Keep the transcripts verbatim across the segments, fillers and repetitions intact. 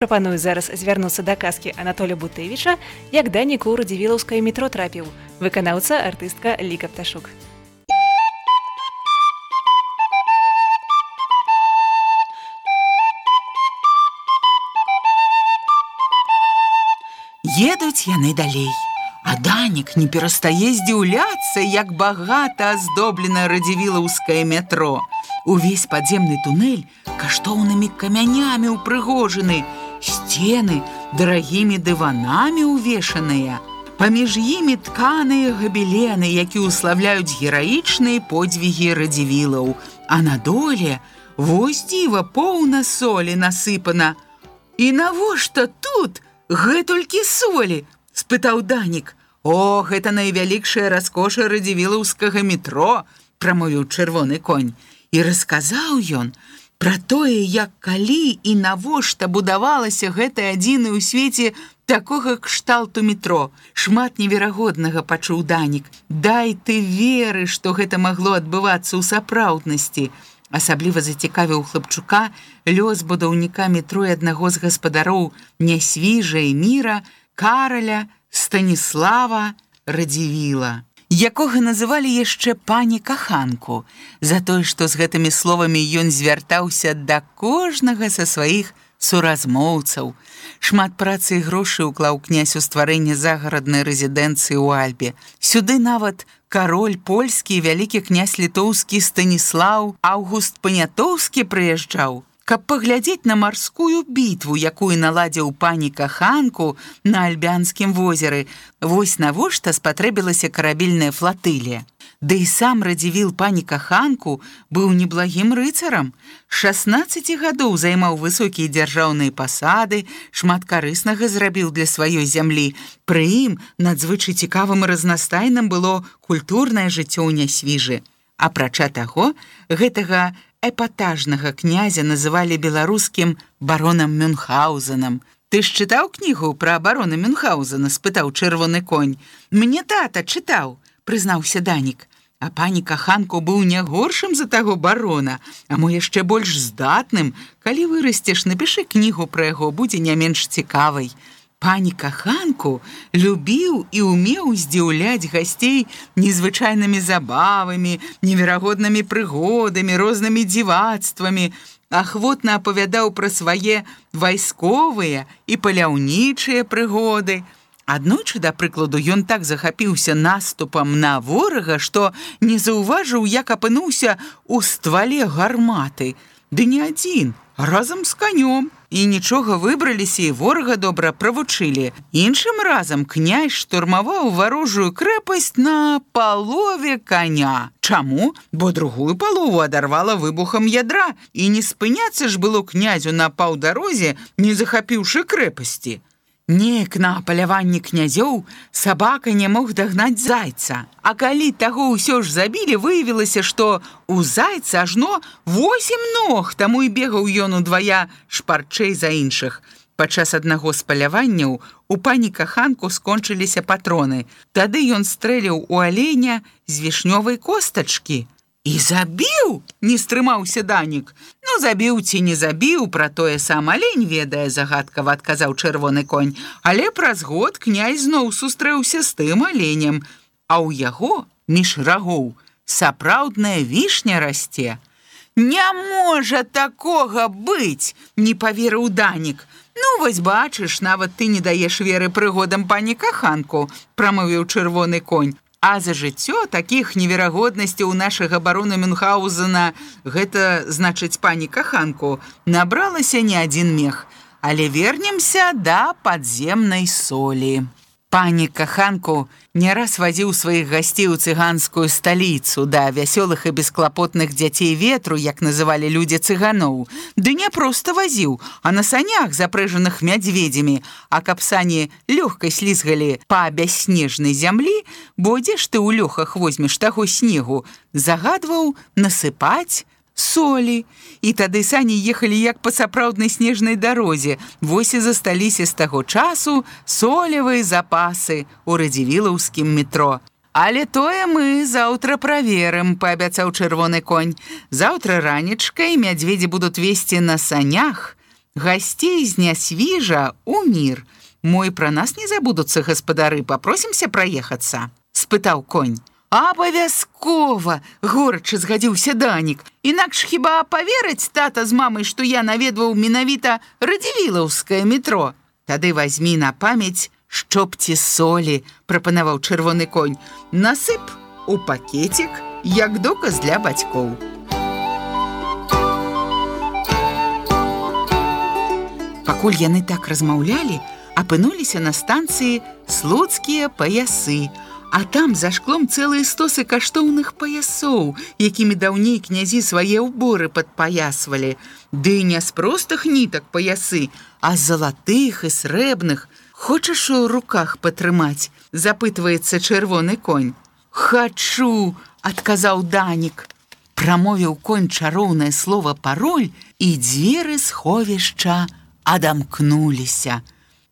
Прапаную зараз звярнуцца да казкі Анатолія Бутэвіча, як Данік у радзівілаўскае метро трапіў. Выканаўца артыстка Ліка Пташук. Едуць яны далей, а Данік не перастае здзіўляцца, як багата аздоблена радзівілаўскае метро. Увесь падземны тунэль каштоўнымі камянямі ўпрыгожаны, сцены дарагімі дыванамі ўвешаныя. Паміж імі тканыя габелены, які ўславляюць гераічныя подзвігі радзівілаў. А на доле вось дзіва поўна солі насыпана. І навошта тут гэтулькі солі? Спытаў Данік. О, гэта найвялікшая раскоша радзівілаўскага метро, прамовіў чырвоны конь. І расказаў ён пра тое, як калі і навошта будавалася гэта адзіны ў свеце такога кшталту метро. Шмат неверагоднага пачуў Данік. Дай ты веры, што гэта магло адбывацца ў сапраўднасці. Асабліва зацікавіў хлапчука лёс будаўніка метро і аднаго з гаспадароў Нясвіжа і міра Караля Станіслава Радзівіла, якога называлі яшчэ пані каханку, за тое, што з гэтымі словамі ён звяртаўся да кожнага са сваіх суразмоўцаў. Шмат працы і грошай уклаў князь у стварэнне загараднай рэзідэнцыі ў Альбе. Сюды нават кароль польскі і вялікі князь літоўскі Станіслаў Аўгуст Панятоўскі прыязджаў, каб паглядзець на марскую бітву, якую наладзіў пані каханку на Альбянскім возеры. Вось навошта спатрэбілася карабельная флатылія. Ды і сам Радзівіл пані каханку быў неблагім рыцарам. шаснаццаць гадоў займаў высокія дзяржаўныя пасады, шмат карыснага зрабіў для сваёй зямлі. Пры ім надзвычай цікавым і разнастайным было культурнае жыццё ў Нясвіжы. Апрача таго, гэтага эпатажнага князя называлі беларускім баронам Мюнхгаузенам. Ты ж чытаў кнігу пра барона Мюнхгаузена? Спытаў чырвоны конь. Мне тата чытаў, прызнаўся Данік. А пані каханку быў не горшым за таго барона, а мо яшчэ больш здатным. Калі вырасцеш, напішы кнігу пра яго, будзе не менш цікавай. Пані каханку любіў і ўмеў здзіўляць гасцей незвычайнымі забавамі, неверагоднымі прыгодамі, рознымі дзівацтвамі. Ахвотна апавядаў пра свае вайсковыя і паляўнічыя прыгоды. Аднойчы, да прыкладу, ён так захапіўся наступам на ворага, што не заўважыў, як апынуўся ў ствале гарматы. Ды не адзін, а разам з канём. І нічога, выбраліся і ворага добра правучылі. Іншым разам князь штурмаваў варожую крэпасць на палове коня. Чаму? Бо другую палову адарвала выбухам ядра, і не спыняцца ж было князю на паўдарозе, не захапіўшы крэпасці. Неяк на паляванні князёў сабака не мог дагнаць зайца. А калі таго ўсё ж забілі, выявілася, што у зайца ажно восем ног, таму і бегаў ён удвая шпарчэй за іншых. Падчас аднаго з паляванняў у пані каханку скончыліся патроны. Тады ён стрэліў у аленя з вішнёвай костачкі. І забіў, не стрымаўся Данік. Ну, забіў ці не забіў, пра тое сам алень ведае, загадкава адказаў чырвоны конь. Але праз год князь зноў сустрэўся з тым аленем, а ў яго, між рагоў, сапраўдная вішня расце. Не можа такога быць, не паверыў Данік. Ну, вось бачыш, нават ты не даеш веры прыгодам пані каханку, прамовіў чырвоны конь. А за жыццё такіх неверагоднасцяў у нашага барона Мюнхгаузена, гэта, значыць, пані каханку, набралася не адзін мех. Але вернемся да падземнай солі. Пані каханку не раз вазіў сваіх гасцей у цыганскую сталіцу, да вясёлых і бесклапотных дзяцей ветру, як называлі людзі цыганоў. Ды не проста вазіў, а на санях, запрэжаных мядзведзямі, а каб сані лёгка слізгалі па бясснежнай зямлі, бо дзе ж ты ў лёхах возьмеш таго снегу, загадваў насыпаць солі. І тады сані ехалі як па сапраўднай снежнай дарозе. Вось і засталіся з таго часу солевыя запасы ў радзівілаўскім метро. Але тое мы заўтра праверым, паабяцаў чырвоны конь. Заўтра ранечкай мядзведзі будуць весці на санях Гостей з нясвіжа у мір. Мой пра нас не забудуцца гаспадары, папросімся праехацца, спытаў конь. Абавязкова, горача згадзіўся Данік. Інакш хіба паверыць тата з мамай, што я наведваў менавіта радзівілаўскае метро? Тады вазьмі на памяць шчопці солі, прапанаваў чырвоны конь. Насып у пакетик, як доказ для бацькоў. Пакуль яны так размаўлялі, апынуліся на станцыі слуцкія паясы, а там за шклом цэлыя стосы каштоўных паясоў, якімі даўней князі свае ўборы падпаясвалі. Ды не з простых нітак паясы, а з залатых і срэбных. Хочаш у руках патрымаць? Запытваецца чырвоны конь. Хачу, адказаў Данік. Прамовіў конь чароўнае слова пароль, і дзверы сховішча адамкнуліся.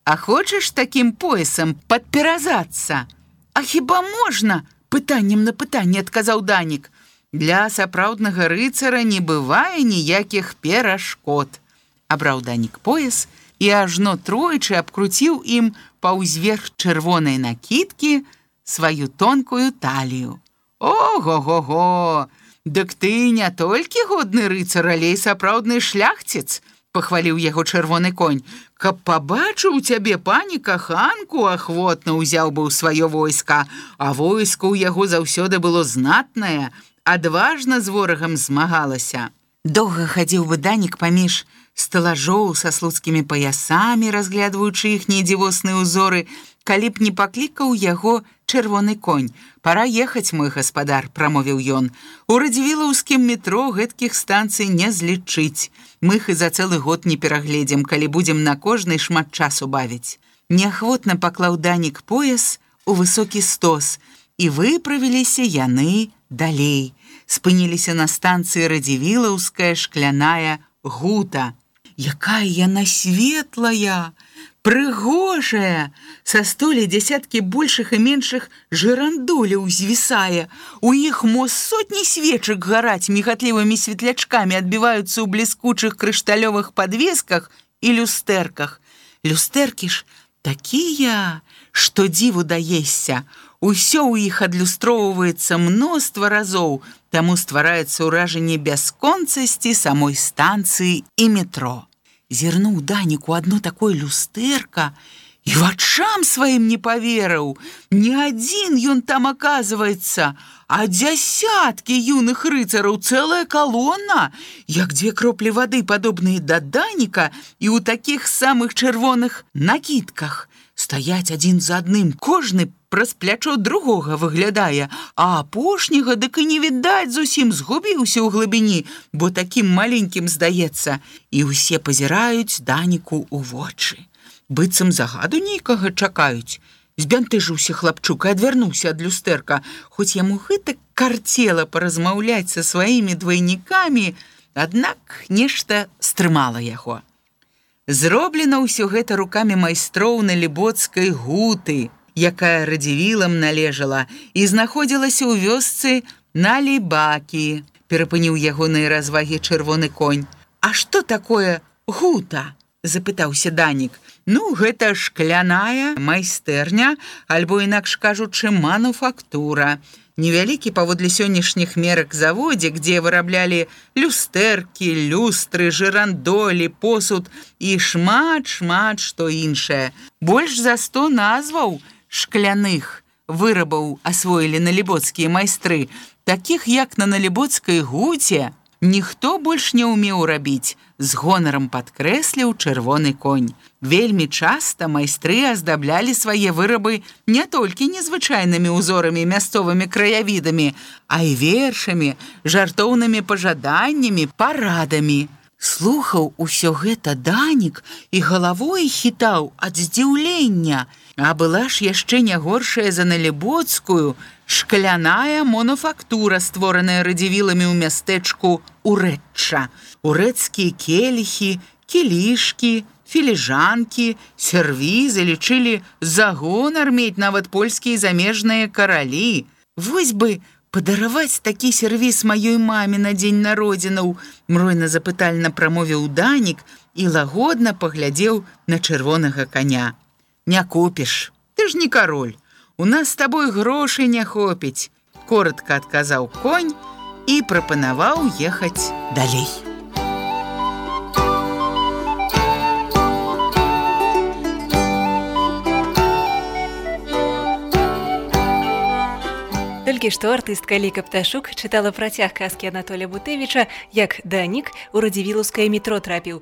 А хочаш такім поясам падперазацца? А хіба можна? Пытаннем на пытанне адказаў Данік. Для сапраўднага рыцара не бывае ніякіх перашкод. Абраў Данік пояс і ажно тройчы абкруціў ім паўзверх чырвонай накідкі сваю тонкую талію. Ого-го-го! Дык ты не толькі годны рыцар, але і сапраўдны шляхціц, пахваліў яго чырвоны конь. Каб пабачыў цябе пані каханку, ахвотна ўзяў бы ў сваё войска, а войска ў яго заўсёды было знатнае, адважна з ворагам змагалася. Доўга хадзіў бы Данік паміж стэлажоў са слуцкімі паясамі, разглядваючы іхнія дзівосныя ўзоры, калі б не паклікаў яго чырвоны конь. Пара ехаць, мой гаспадар, прамовіў ён. У радзівілаўскім метро гэткіх станцый не злічыць. Мы іх і за цэлы год не перагледзім, калі будзем на кожнай шмат часу бавіць. Неахвотна паклаў Данік пояс у высокі стос, і выправіліся яны далей. Спыніліся на станцыі радзівілаўская шкляная гута. Якая яна светлая, прыгожая, са столі дзясяткі большых і меншых жырандоляў звісае. У іх мо сотні свечак гараць мігатлівымі светлячкамі адбіваюцца ў бліскучых крышталёвых падвесках і люстэрках. Люстэркі ж такія, што дзіву даешся. Усё ў іх адлюстроўваецца мноства разоў, таму ствараецца ўражанне бясконцасці самой станцыі і метро. Зірнуў Данік у адно такое люстэрка і вачам сваім не паверыў. Не адзін ён там аказваецца, а дзясяткі юных рыцараў, цэлая калона, як дзве кроплі вады, падобныя да Даніка, і ў такіх самых чырвоных накідках. Стаяць адзін за адным, кожны праз плячо другога выглядае, а апошняга дык і не відаць, зусім згубіўся ў глыбіні, бо такім маленькім здаецца. І ўсе пазіраюць Даніку ў вочы. Быццам загаду нейкага чакаюць. Збянтэжыўся хлапчук і адвярнуўся ад люстэрка. Хоць яму гэтак карцела паразмаўляць са сваімі двайнікамі, аднак нешта стрымала яго. Зроблена ўсё гэта рукамі майстроў налібоцкай гуты, якая радзівілам належала і знаходзілася ў вёсцы Налібакі, перапыніў ягоныя развагі чырвоны конь. А што такое гута? Запытаўся Данік. Ну, гэта шкляная майстэрня, альбо інакш кажучы, мануфактура. Невялікі паводле сённяшніх мерак заводзік, дзе выраблялі люстэркі, люстры, жырандолі, посуд і шмат-шмат што іншае. Больш за сто назваў шкляных вырабаў асвоілі налібоцкія майстры, такіх як на налібоцкай гуце ніхто больш не ўмеў рабіць, з гонарам падкрэсліў чырвоны конь. Вельмі часта майстры аздаблялі свае вырабы не толькі незвычайнымі ўзорамі, мясцовымі краявідамі, а і вершамі, жартоўнымі пажаданнямі, парадамі. Слухаў усё гэта Данік і галавой хітаў ад здзіўлення, а была ж яшчэ не горшая за налібоцкую шкляная мануфактура, створаная радзівіламі ў мястэчку Урэчча. Урэцкія келіхі, кілішкі, філіжанкі, сервізы лічылі за гонар мець нават польскія замежныя каралі. Вось бы падараваць такі сервіз маёй маме на дзень народзінаў, мройна запытальна прамовіў Данік і лагодна паглядзеў на чырвонага каня. «Не купіш, ты ж не кароль, у нас з табой грошай не хопіць», – коротка адказаў конь і прапанаваў ехаць далей. Толькі што артыстка Ліка Пташук чытала працяг казкі Анатолія Бутэвіча, як Данік у радзівілаўскае метро трапіў,